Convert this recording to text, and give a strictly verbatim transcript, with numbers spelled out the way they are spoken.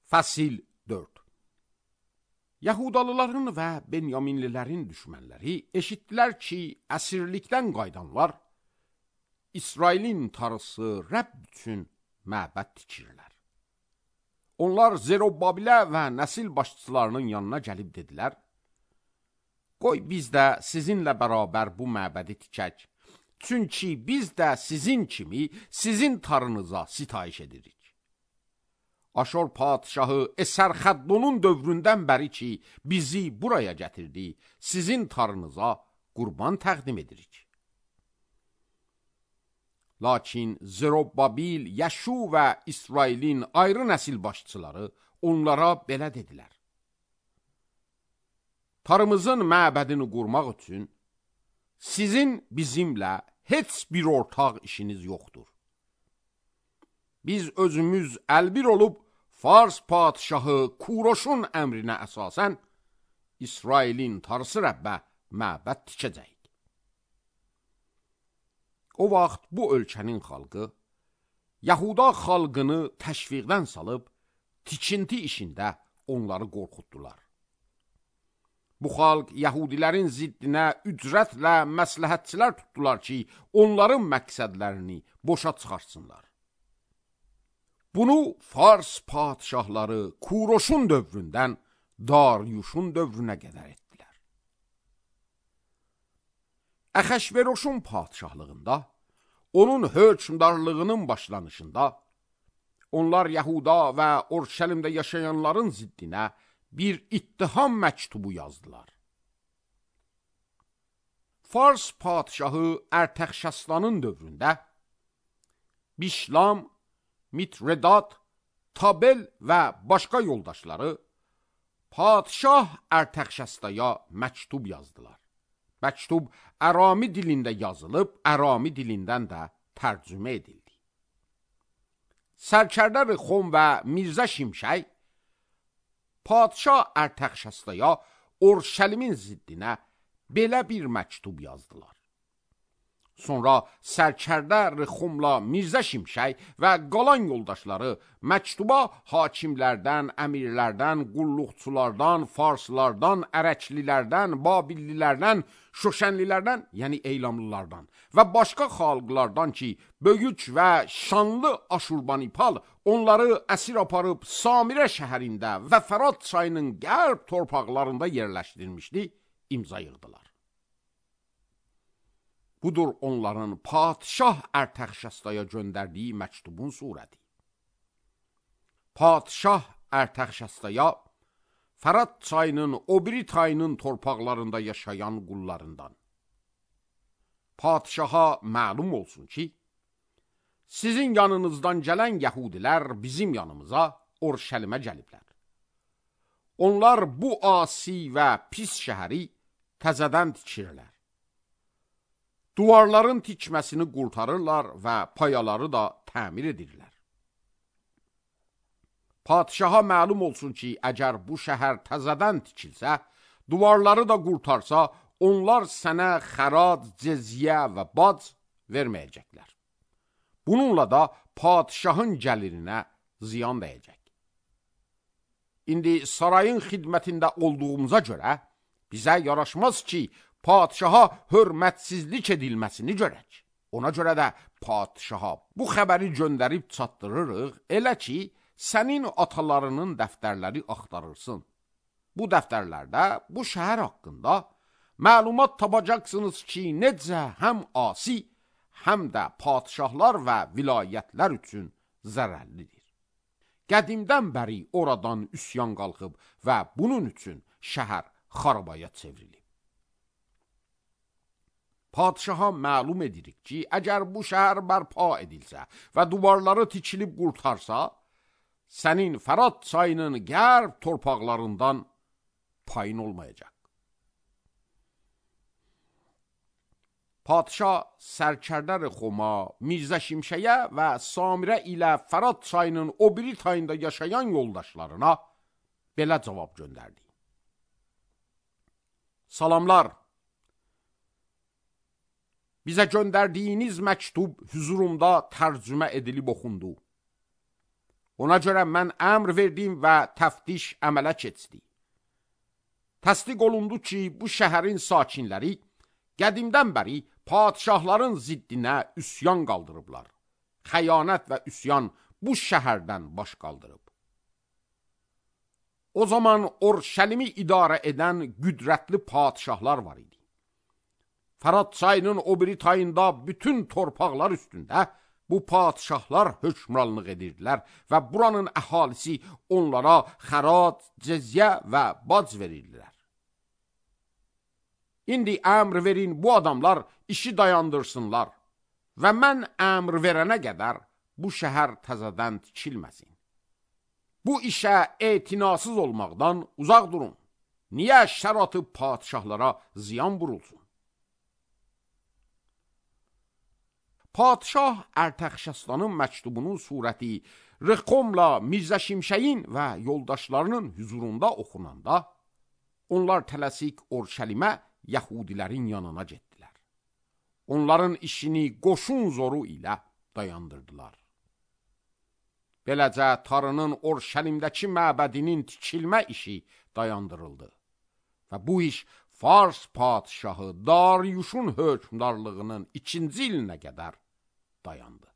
Fəsil dörd. Yahudalıların və Benyaminlilərin düşmənləri eşitdilər ki, əsirlikdən qaydanlar İsrailin tarısı Rəbb üçün məbəd tikirlər. Onlar Zerubabilə və nəsil başçılarının yanına gəlib dedilər: Qoy biz də sizinlə bərabər bu məbədi tikək, çünki biz də sizin kimi sizin tarınıza sitayiş edirik. Aşor padişahı Esərxəddonun dövründən bəri ki, bizi buraya gətirdi, sizin tarınıza qurban təqdim edirik. Lakin Zerubabil, Yəşu və İsrailin ayrı nəsil başçıları onlara belə dedilər: Tarımızın məbədini qurmaq üçün sizin bizimlə heç bir ortaq işiniz yoxdur. Biz özümüz əlbir olub Fars padişahı Kuroşun əmrinə əsasən İsrailin tarısı Rəbbə məbəd tikəcəyik. O vaxt bu ölkənin xalqı Yahuda xalqını təşviqdən salıb tikinti işində onları qorxutdular. Bu xalq Yahudilərin ziddinə ücrətlə məsləhətçilər tutdular ki, onların məqsədlərini boşa çıxarsınlar. Bunu Fars padişahları Kuroşun dövründən Daryuşun dövrünə qədər etdilər. Əxəşveroşun padişahlığında, onun hökmdarlığının başlanışında, onlar Yahuda və Orşəlimdə yaşayanların ziddinə bir ittiham məktubu yazdılar. Fars padişahı Ərtəxşəslanın dövründə Bişlam, Mitredat, Tabel və başqa yoldaşları padişah Ərtəxşəstaya məktub yazdılar. Məktub Ərami dilində yazılıb, Ərami dilindən də tərcümə edildi. Sərkərdə Rixom və Mirzə Şimşək padişah Ərtəxşəstaya Orşəlimin ziddinə belə bir məktub yazdılar. Sonra sərkərdə Rixomla Mirzə Şimşək və qalan yoldaşları məktuba hakimlərdən, əmirlərdən, qulluqçulardan, farslardan, ərəklilərdən, babillilərdən, şoşənlilərdən, yəni eylamlılardan və başqa xalqlardan ki, böyük və şanlı Aşurbanipal onları əsir aparıb Samirə şəhərində və Fərat çayının qərb torpaqlarında yerləşdirmişdi, imza yığdılar. Budur onların padişah Ərtəxşəstaya göndərdiyi məktubun surəti. Padişah Ərtəxşəstaya Fərat çayının o biri tayının torpaqlarında yaşayan qullarından. Padişaha məlum olsun ki, sizin yanınızdan gələn Yəhudilər bizim yanımıza Orşəlimə gəliblər. Onlar bu asi və pis şəhəri təzədən tikirlər. Duvarların tikməsini qurtarırlar və payaları da təmir edirlər. Padişaha məlum olsun ki, əgər bu şəhər təzədən tikilsə, duvarları da qurtarsa, onlar sənə xərac, cezyə və bac verməyəcəklər. Bununla da padişahın gəlirinə ziyan dəyəcək. İndi sarayın xidmətində olduğumuza görə bizə yaraşmaz ki, padişaha hörmətsizlik edilməsini görək. Ona görə də padişaha bu xəbəri göndərib çatdırırıq, elə ki, sənin atalarının dəftərləri axtarırsın. Bu dəftərlərdə bu şəhər haqqında məlumat tapacaqsınız ki, necə həm asi, həm də padişahlar və vilayətlər üçün zərərlidir. Qədimdən bəri oradan üsyan qalxıb və bunun üçün şəhər xarabaya çevrilib. Padişaha məlum edirik ki, əgər bu şəhər bərpa edilsə və duvarları tikilib qurtarsa, sənin Fərat çayının qərb torpaqlarından payın olmayacaq. Padişah sərkərdə Rixoma, Mirzə Şimşəyə və Samirə ilə Fərat çayının o biri tayında yaşayan yoldaşlarına belə cavab göndərdi. Salamlar! Bizə göndərdiyiniz məktub hüzurumda tərcümə edilib oxundu. Ona görə mən əmr verdim və təftiş əmələ keçdi. Təsdiq olundu ki, bu şəhərin sakinləri qədimdən bəri padişahların ziddinə üsyan qaldırıblar. Xəyanət və üsyan bu şəhərdən baş qaldırıb. O zaman Orşəlimi idarə edən qüdrətli padişahlar var idi. Fərat çayının o biri tayında bütün torpaqlar üstündə bu padişahlar hökmranlıq edirdilər və buranın əhalisi onlara xərac, cəzyə və bac verirdilər. İndi əmr verin bu adamlar işi dayandırsınlar və mən əmr verənə qədər bu şəhər təzədən tikilməsin. Bu işə etinasız olmaqdan uzaq durun. Niyə şər atıb padişahlara ziyan vurulsun? Padişah Ərtəxşəstanın məktubunun surəti Rıxomla Mirzə Şimşəyin və yoldaşlarının hüzurunda oxunanda, onlar tələsik Orşəlimə Yahudilərin yanına getdilər. Onların işini qoşun zoru ilə dayandırdılar. Beləcə Tarının Orşəlimdəki məbədinin tikilmə işi dayandırıldı və bu iş Fars padişahı Dariuşun hökmdarlığının ikinci ilinə qədər dayandı.